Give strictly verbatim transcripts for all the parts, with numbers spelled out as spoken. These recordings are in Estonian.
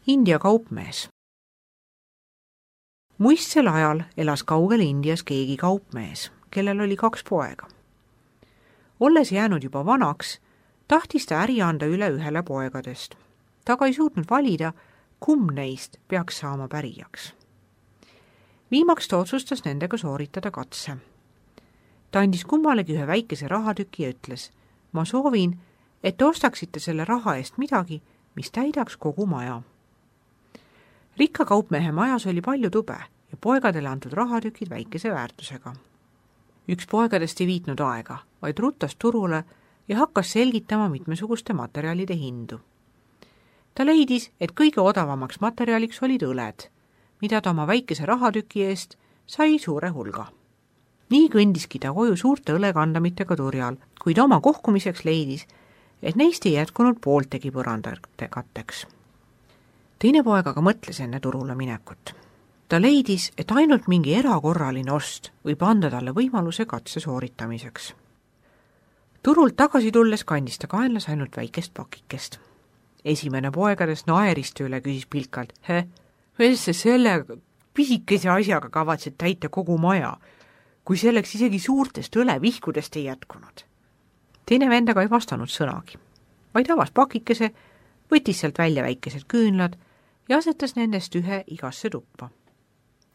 India kaupmees. Muistsel ajal elas kaugel Indias keegi kaupmees, kellel oli kaks poega. Olles jäänud juba vanaks, tahtis ta äri anda üle ühele poegadest. Ta aga ei suutnud valida, kumb neist peaks saama pärijaks. Viimaks ta otsustas nendega sooritada katse. Ta andis kummalegi ühe väikese rahatüki ja ütles, ma soovin, et te ostaksite selle raha eest midagi, mis täidaks kogu maja. Rikka kaupmehe majas oli palju tube ja poegadele antud rahatükid väikese väärtusega. Üks poegadest ei viitnud aega, vaid ruttas turule ja hakkas selgitama mitmesuguste materjalide hindu. Ta leidis, et kõige odavamaks materjaliks olid õled, mida ta oma väikese rahatüki eest sai suure hulga. Nii kõndiski ta koju suurte õlekandamitega turjal, kuid oma kohkumiseks leidis, et neist ei jätkunud pooltegi põrandate katteks. Teine poeg aga mõtles enne turule minekut. Ta leidis, et ainult mingi erakorraline ost võib anda talle võimaluse katse sooritamiseks. Turult tagasi tulles kandis ta kaenlas ainult väikest pakikest. Esimene poegadest naeriste üle küsis pilkalt, he, mis sa selle pisikese asjaga kavatsed täita kogu maja, kui selleks isegi suurtest õlevihkudest ei jätkunud. Teine vendaga ei vastanud sõnagi, vaid avas pakikese, võttis sealt välja väikesed küünlad ja asetas nendest ühe igasse tuppa.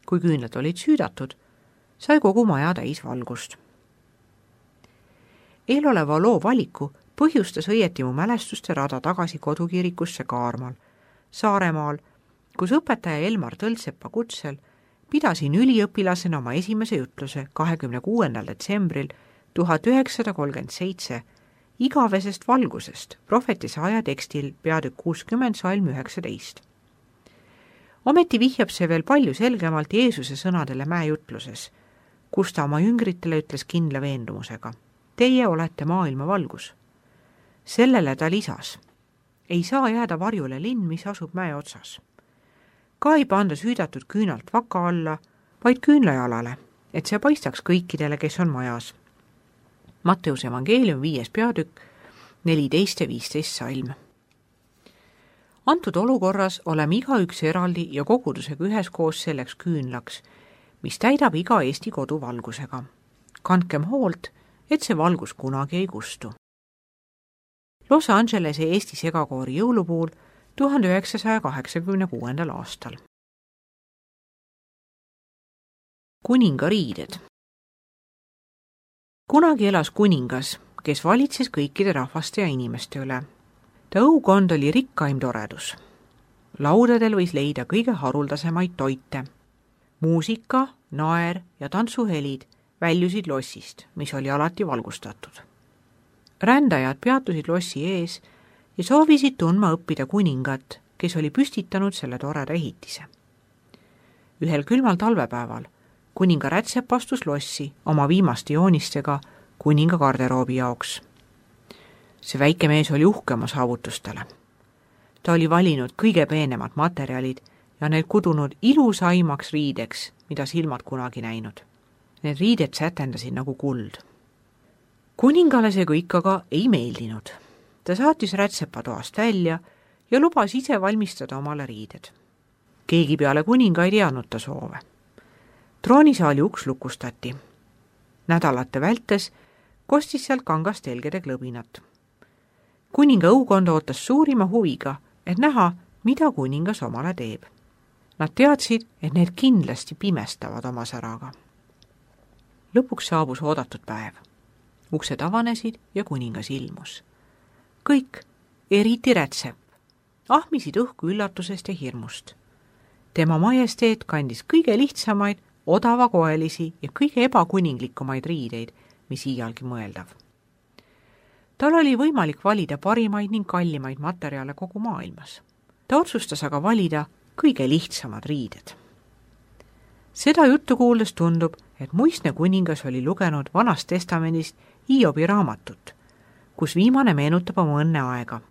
Kui küünlad olid süüdatud, sai kogu maja täis valgust. Eeloleva loo valiku põhjustas õieti mu mälestuste rada tagasi kodukirikusse Kaarmal, Saaremaal, kus õpetaja Elmar Tõltsepa kutsel pidasin üliõpilasena oma esimese jutluse kahekümne kuuendal detsembril tuhat üheksasada kolmkümmend seitse igavesest valgusest prohvetisaja tekstil peatükk kuuskümmend salm üheksateist. Ometi vihjab see veel palju selgemalt Jeesuse sõnadele mäejutluses, kus ta oma jüngritele ütles kindla veendumusega. Teie olete maailma valgus. Sellele ta lisas. Ei saa jääda varjule linn, mis asub mäe otsas. Ka ei panda süüdatud küünalt vaka alla, vaid küünlajalale, et see paistaks kõikidele, kes on majas. Matteuse evangeelium viies peatükk, neliteist ja viisteist salm. Antud olukorras oleme igaüks eraldi ja kogudusega üheskoos selleks küünlaks, mis täidab iga Eesti kodu valgusega. Kandkem hoolt, et see valgus kunagi ei kustu. Los Angelese Eesti segakoori jõulupuul tuhande üheksasaja kaheksakümne kuuendal aastal. Kuningariided. Kunagi elas kuningas, kes valitses kõikide rahvaste ja inimeste üle. Ta õukond oli rikkaim toredus. Laudadel võis leida kõige haruldasemaid toite. Muusika, naer ja tantsuhelid väljusid lossist, mis oli alati valgustatud. Rändajad peatusid lossi ees ja soovisid tundma õppida kuningat, kes oli püstitanud selle toreda ehitise. Ühel külmal talvepäeval kuninga Rätsep astus lossi oma viimaste joonistega kuninga garderoobi jaoks. See väike mees oli uhke oma saavutustele. Ta oli valinud kõige peenemad materjalid ja need kudunud ilusaimaks riideks, mida silmad kunagi näinud. Need riided sätendasid nagu kuld. Kuningale see kõik aga ei meeldinud. Ta saatis Rätsepa toast välja ja lubas ise valmistada omale riided. Keegi peale kuninga ei teadnud ta soove. Troonisaali uks lukustati. Nädalate vältes kostis sealt kangast telgede klõbinat. Kuninga õukond ootas suurima huviga, et näha, mida kuningas omale teeb. Nad teadsid, et need kindlasti pimestavad oma säraga. Lõpuks saabus oodatud päev. Uksed avanesid ja kuningas ilmus. Kõik, eriti Rätsep, ahmisid õhku üllatusest ja hirmust. Tema majesteet kandis kõige lihtsamaid, odavakoelisi ja kõige ebakuninglikumaid riideid, mis iialgi mõeldav. Tal oli võimalik valida parimaid ning kallimaid materjale kogu maailmas. Ta otsustas aga valida kõige lihtsamad riided. Seda juttu kuuldes tundub, et muistne kuningas oli lugenud Vanast testamendist Hiobi raamatut, kus viimane meenutab oma õnne aega.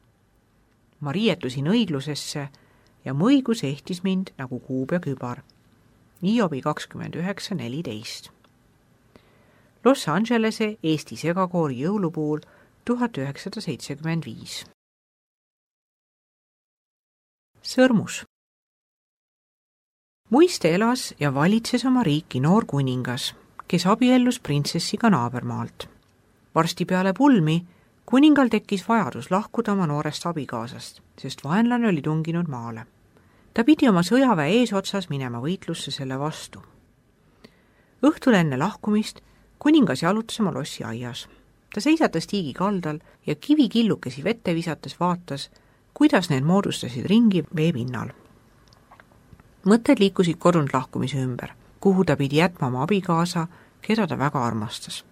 Ma riietusin õiglusesse ja mu õigus ehtis mind nagu kuub ja kübar. Hiobi kakskümmend üheksa neliteist. Los Angelese Eesti segakoori jõulupuul tuhat üheksasada seitsekümmend viis. Sõrmus. muiste elas ja valitses oma riiki noor kuningas, kes abiellus printsessiga naabermaalt. Varsti peale pulmi kuningal tekkis vajadus lahkuda oma noorest abikaasast, sest vaenlane oli tunginud maale. Ta pidi oma sõjaväe eesotsas minema võitlusse selle vastu. Õhtul enne lahkumist kuningas jalutas oma lossi aias. Ta seisatas tiigi kaldal ja kivikillukesi vette visates vaatas, kuidas need moodustasid ringi veepinnal. Mõtted liikusid kodunt lahkumise ümber, kuhu ta pidi jätma oma abikaasa, keda ta väga armastas.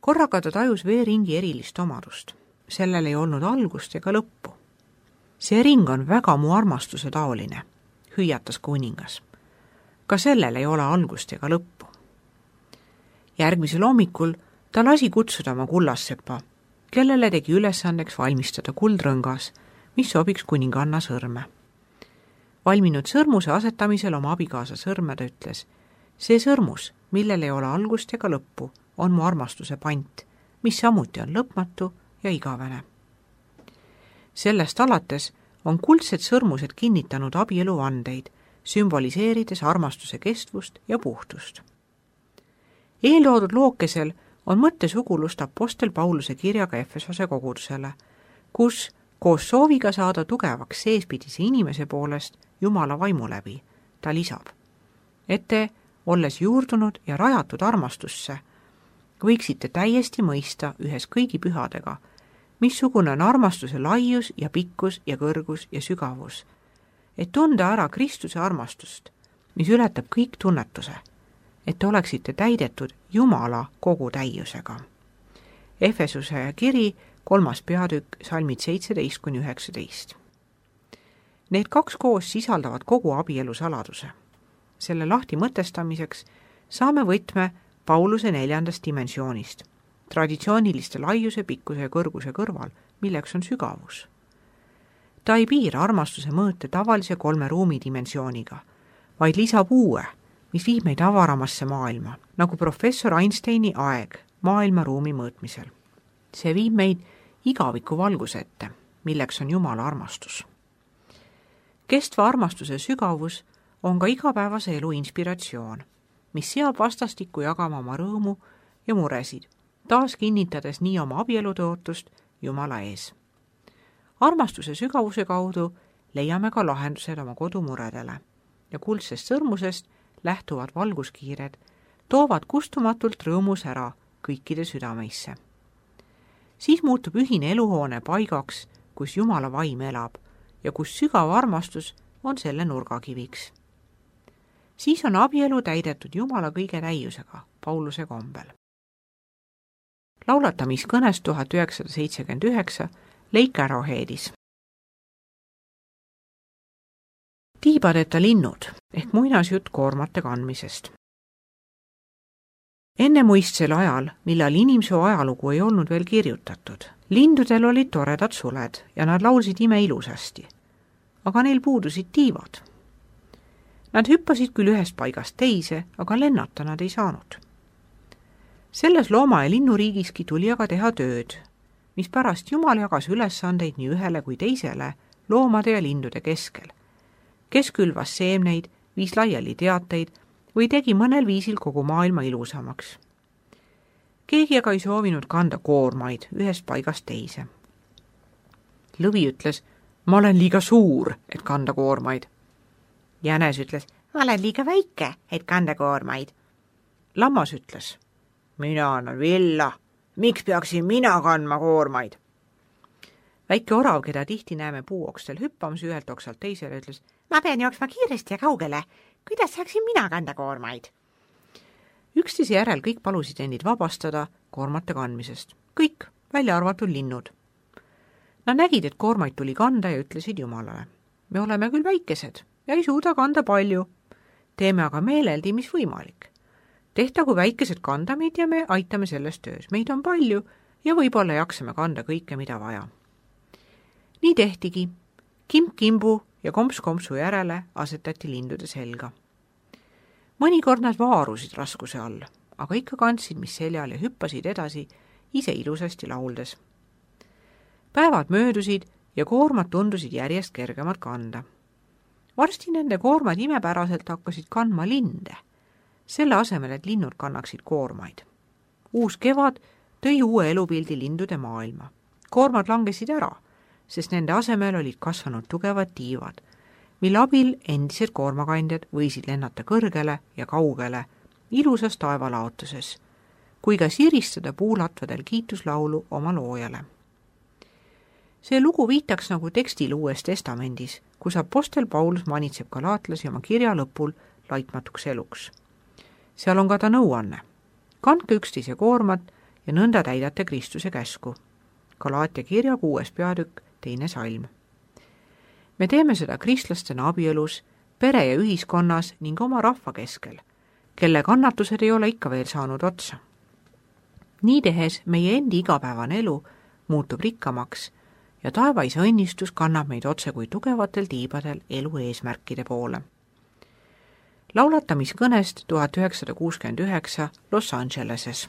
Korraga ta tajus veeringi erilist omadust. Sellel ei olnud algust ega lõppu. See ring on väga mu armastuse taoline, hüüatas kuningas. Ka sellel ei ole algust ega lõppu. Järgmisel hommikul ta lasi kutsuda oma kullassepa, kellele tegi ülesandeks valmistada kuldrõngas, mis sobiks kuninganna sõrme. Valminud sõrmuse asetamisel oma abikaasa sõrme ta ütles, see sõrmus, millel ei ole algust ega lõppu, on mu armastuse pant, mis samuti on lõpmatu ja igavene. Sellest alates on kuldsed sõrmused kinnitanud abieluvandeid, sümboliseerides armastuse kestvust ja puhtust. Eeltoodud lookesel on mõttesugulust apostel Pauluse kirjaga Efesose kogudusele, kus koos sooviga saada tugevaks seespidise inimese poolest Jumala vaimu läbi, ta lisab, et te, olles juurdunud ja rajatud armastusse, võiksite täiesti mõista ühes kõigi pühadega, missugune on armastuse laius ja pikkus ja kõrgus ja sügavus, et tunda ära Kristuse armastust, mis ületab kõik tunnetuse, et te oleksite täidetud Jumala kogu täiusega. Efesuse kiri, kolmas peatükk, salmid seitseteist kuni üheksateist. Need kaks koos sisaldavad kogu abielu saladuse. Selle lahti mõtestamiseks saame võtme Pauluse neljandast dimensioonist, traditsiooniliste laiuse, pikkuse ja kõrguse kõrval, milleks on sügavus. Ta ei piira armastuse mõõte tavalise kolme ruumi dimensiooniga, vaid lisab uue, mis viib meid avaramasse maailma, nagu professor Einsteini aeg maailma ruumi mõõtmisel. See viib meid igaviku valguse ette, milleks on Jumala armastus. Kestva armastuse sügavus on ka igapäevase elu inspiratsioon, mis seab vastastikku jagama oma rõõmu ja muresid, taas kinnitades nii oma abielutõotust Jumala ees. Armastuse sügavuse kaudu leiame ka lahendused oma kodumuredele ja kuldsest sõrmusest lähtuvad valguskiired toovad kustumatult rõõmus ära kõikide südameisse. Siis muutub ühine eluhoone paigaks, kus Jumala vaim elab ja kus sügav armastus on selle nurgakiviks. Siis on abielu täidetud Jumala kõige täiusega, Pauluse kombel. Laulatamiskõnes tuhat üheksasada seitsekümmend üheksa Lake Arrowheadis. Tiibadeta linnud ehk muinasjutt koormate kandmisest. Enne muistsel ajal, millal inimsoo ajalugu ei olnud veel kirjutatud, lindudel olid toredad suled ja nad laulsid ime ilusasti, aga neil puudusid tiivad. Nad hüppasid küll ühest paigast teise, aga lennata nad ei saanud. Selles looma- ja linnuriigiski tuli aga teha tööd, mis pärast Jumal jagas ülesandeid nii ühele kui teisele loomade ja lindude keskel, kes külvas seemneid, viis laiali teateid või tegi mõnel viisil kogu maailma ilusamaks. Keegi aga ei soovinud kanda koormaid ühest paigast teise. Lõvi ütles, ma olen liiga suur, et kanda koormaid. Jänes ütles, ma olen liiga väike, et kanda koormaid. Lammas ütles, mina annan villa, miks peaksin mina kandma koormaid? Väike orav, keda tihti näeme puuokstel hüppamas ühelt oksalt teisele, ütles, ma pean jooksma kiiresti ja kaugele, kuidas saaksin mina kanda koormaid? Üksteise järel kõik palusid endid vabastada koormate kandmisest. Kõik, välja arvatud linnud. Nad nägid, et koormaid tuli kanda ja ütlesid Jumalale. Me oleme küll väikesed ja ei suuda kanda palju. Teeme aga meeleldi, mis võimalik. Tehtagu väikesed kanda meid ja me aitame selles töös. Meid on palju ja võib-olla jaksame kanda kõike, mida vaja. Nii tehtigi. Kimp-kimbu ja komps-kompsu järele asetati lindude selga. Mõnikord nad vaarusid raskuse all, aga ikka kandsid, mis seljal ja hüppasid edasi, ise ilusasti lauldes. Päevad möödusid ja koormad tundusid järjest kergemad kanda. varsti nende koormad imepäraselt hakkasid kandma linde, selle asemel, et linnud kannaksid koormaid. Uus kevad tõi uue elupildi lindude maailma. Koormad langesid ära, sest nende asemel olid kasvanud tugevad tiivad, mille abil endised koormakandjad võisid lennata kõrgele ja kaugele ilusas taevalaotuses, kui ka siristada puulatvadel kiituslaulu oma loojale. See lugu viitaks nagu tekstil Uues Testamendis, kus apostel Paulus manitseb galaatlasi oma kirja lõpul laitmatuks eluks. Seal on ka ta nõuanne. Kandke üksteise koormat ja nõnda täidate Kristuse käsku. Galaatia kirja kuues peatükk, teine salm. Me teeme seda kristlastena abielus, pere ja ühiskonnas ning oma rahva keskel, kelle kannatused ei ole ikka veel saanud otsa. Nii tehes meie endi igapäevane elu muutub rikkamaks ja taevaisa õnnistus kannab meid otse kui tugevatel tiibadel elu eesmärkide poole. Laulatamiskõnest tuhat üheksasada kuuskümmend üheksa Los Angeleses.